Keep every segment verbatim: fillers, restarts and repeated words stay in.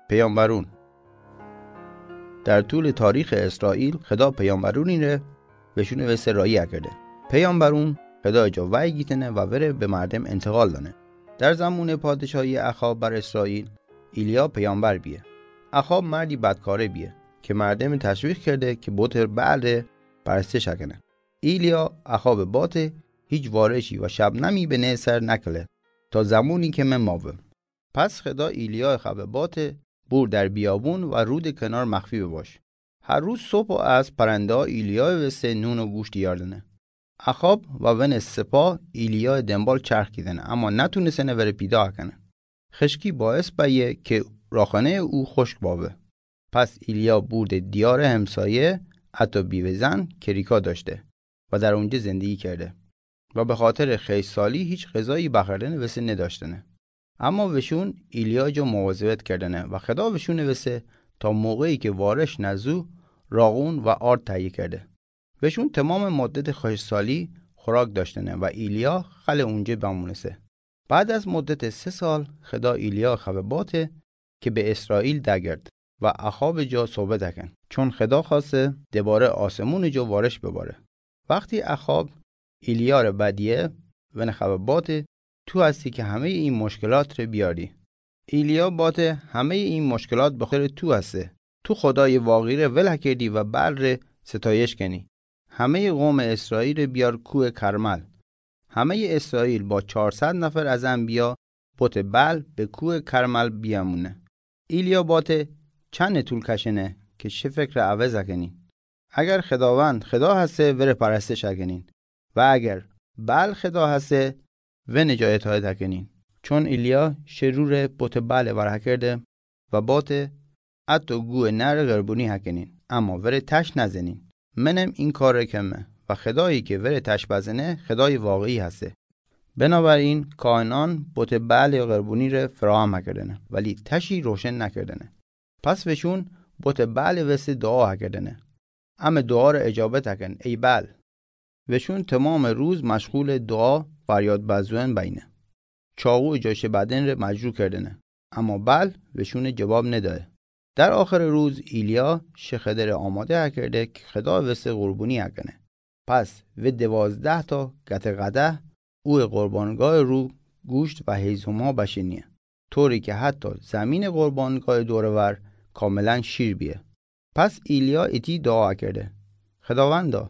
پیامبرون. در طول تاریخ اسرائیل، خدا پیامبرونی ره وشون وسه راهی کرده. پیامبرون خدا جا وحی گیتنه و وره به مردم انتقال دانه. در زمان پادشاهی اخاب بر اسرائیل، ایلیا پیامبر بیه. اخاب مردی بدکاره بیه که مردم تشویق کرده که بت بعل ره پرستش کنه. ایلیا اخاب باته هیچ وارشی و شبنمی به نه سر نکله تا زمانی که من ماوه. پس خدا ایلیا خبه باته بور در بیابون و رود کنار مخفی بباش. هر روز صبح و از پرنده ها ایلیا وسه نون و گوشت یاردنه. اخاب و ون سپاه ایلیا دنبال چرخ کیدنه، اما نتونستنه وره پیدا کنه. خشکی باعث بیه که راخانه او خشک باوه. پس ایلیا برده دیار همسایه، حتی بیوه‌زن که ریکا داشته و در اونجا زندگی کرده و به خاطر خشکسالی هیچ غذایی بخوردنه وسه نداشتنه. اما وشون ایلیا جا مواظبت کردنه و خدا وشون وسه تا موقعی که وارش نزو راغون و آرد تهیه کرده. وشون تمام مدت خشکسالی خوراک داشتنه و ایلیا خل اونجا بمونسه. بعد از مدت سه سال، خدا ایلیا خبه باته که به اسرائیل دگرد و اخاب جا صحبت کن، چون خدا خواسته دوباره آسمون جا وارش بباره. وقتی اخاب ایلیا ره بدیه، ون خبه باته تو هستی که همه این مشکلات ره بیاری. ایلیا باته همه این مشکلات به خاطر تو هسته. تو خدای واقعی ره ول کردی و بعل ره ستایش کنی. همه قوم اسرائیل ره بیار کوه کرمل. همه اسرائیل با چهارصد نفر از انبیا بت بعل به کوه کرمل بیامونه. ایلیا باته چند طول کشنه که شه فکر عوض کنین؟ اگر خداوند خدا هسته، وره پرستش کنین، و اگر بعل خدا هسته، ون جا اطاعت کنین. چون ایلیا شه رو ره بت بعل ور کرده و باته حتی گوه نر قربانی کنین، اما وره تشت نزنین. منم این کار ره کمه و خدایی که وره تشت بزنه، خدای واقعی هسته. بنابراین کاهنان بت بعل قربانی ره فراهم کردنه، ولی تشی روشن نکردنه. پس وشون بت بعل وسه دعا کردنه، اما دعا ره اجابت کن، ای بعل. وشون تمام روز مشغول دعا فریاد بزون بینه. چاقو جا شه بدن ره مجروح کردنه، اما بعل وشون جواب ندایه. در آخر روز ایلیا شه خدا ره آماده کرده که خدا وسه قربانی کنه. پس و دوازده تا گته قدح او قربانگاه رو گوشت و هیزم ها بشینیه، طوری که حتی زمین قربانگاه دور ور کاملا شیر بیه. پس ایلیا ایتی دعا کرده: خداوندا،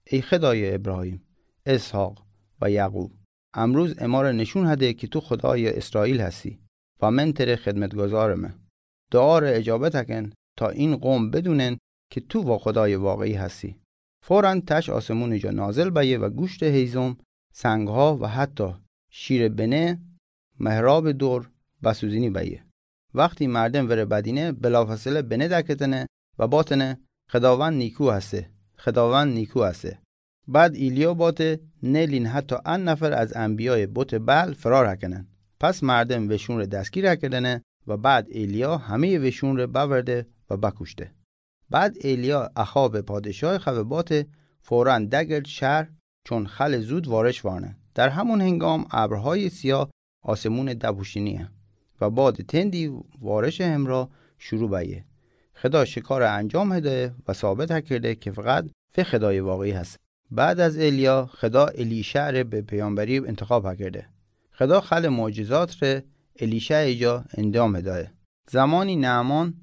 ای خدای ابراهیم، اسحاق و یعقوب، امروز اماره نشون هده که تو خدای اسرائیل هستی و من تره خدمتگزارمه. دعا ره اجابت کن تا این قوم بدونن که تو وا خدای واقعی هستی. فوراً تش آسمون جا نازل بیه و گوشت، هیزم، سنگ ها و حتی شیر بنه محراب دور بسوزینی بیه. وقتی مردم وره بدینه، بلافاصله بنه دکتنه و باتنه: خداوند نیکو هسته، خداوند نیکو هسته. بعد ایلیا باته: نلین حتی ان نفر از انبیای بت بعل فرار کنن. پس مردم وشون ره دستگیر کردنه و بعد ایلیا همه وشون ره باورده و بکشته. بعد ایلیا اخاب پادشاه خبه باته: فوراً دگرد شهر، چون خل زود وارش وانه. در همون هنگام ابرهای سیاه آسمون دپوشینیه و باد تندی وارش همراه شروع بیه. خدا شکار انجام هدایه و ثابت کرده که فقط و خدای واقعی هست. بعد از ایلیا، خدا الیشع ره به پیامبری انتخاب کرده. خدا خل معجزات ره الیشع جا انجام هدایه. زمانی نعمان،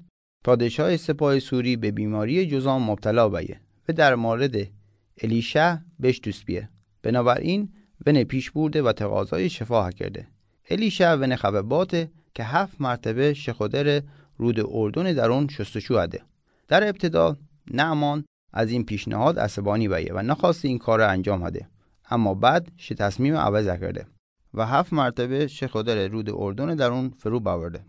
پادشاه سپاه سوری، به بیماری جذام مبتلا بیه و در مورد الیشع بشتوس بیه. بنابراین ون پیش برده و تقاضای شفا کرده. الیشع ون خبه باته که هفت مرتبه شه خوده ره رود اردن درون شستشو هده. در ابتدا نعمان از این پیشنهاد عصبانی بیه و نخواسته این کار را انجام هده، اما بعد شه تصمیم عوض کرده و هفت مرتبه شه خوده ره رود اردن درون فرو باورده.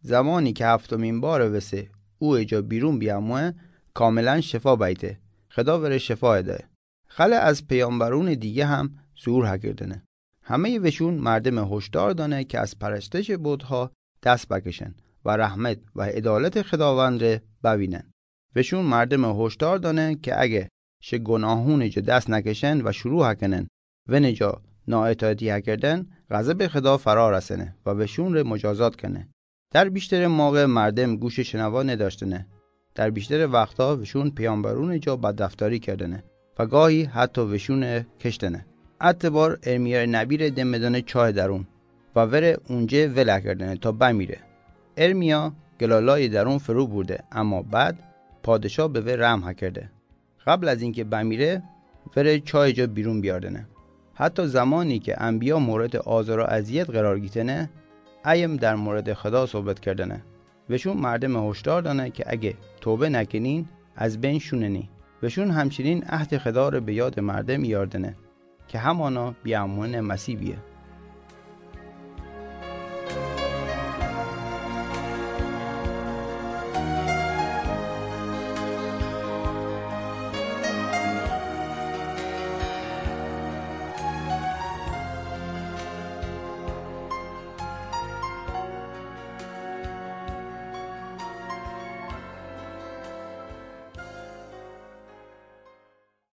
زمانی که هفتمین بار وسه او جا بیرون بیاموه، کاملاً شفا بیته. خدا وره شفا ده. خله از پیامبرون دیگه هم ظهور هکردنه. همهٔ وشون مردم هشدار دانه که از پرستش بت‌ها دست بکشن و رحمت و عدالت خداوند ره بوینن. وشون مردم هشدار دانه که اگه شه گناهون جا دست نکشن و شروع هکنن ون جا نااطاعتی هکردن، غضب خدا فرا رسنه و وشون ره مجازات کنه. در بیشتر موقع مردم گوش شنوا نداشتنه. در بیشتر وقتها وشون پیامبرون جا بدرفتاری کردنه و گاهی حتی وشون کشتنه. اتبار ارمیا نبی ره دمدنه چاه درون و وره اونجه ول کردنه تا بمیره. ارمیا گلالای درون فرو برده، اما بعد پادشاه به وی رحم کرده. قبل از اینکه بمیره، وره چاه جا بیرون بیاردنه. حتی زمانی که انبیا مورد آزار و اذیت قرار گیتنه، ایم در مورد خدا صحبت کردنه. وشون مردم هشدار دانه که اگه توبه نکنین، از بین شوننی. وشون همچنین عهد خدا ره به یاد مردم یاردنه که همانا بیامون مسیح بیه.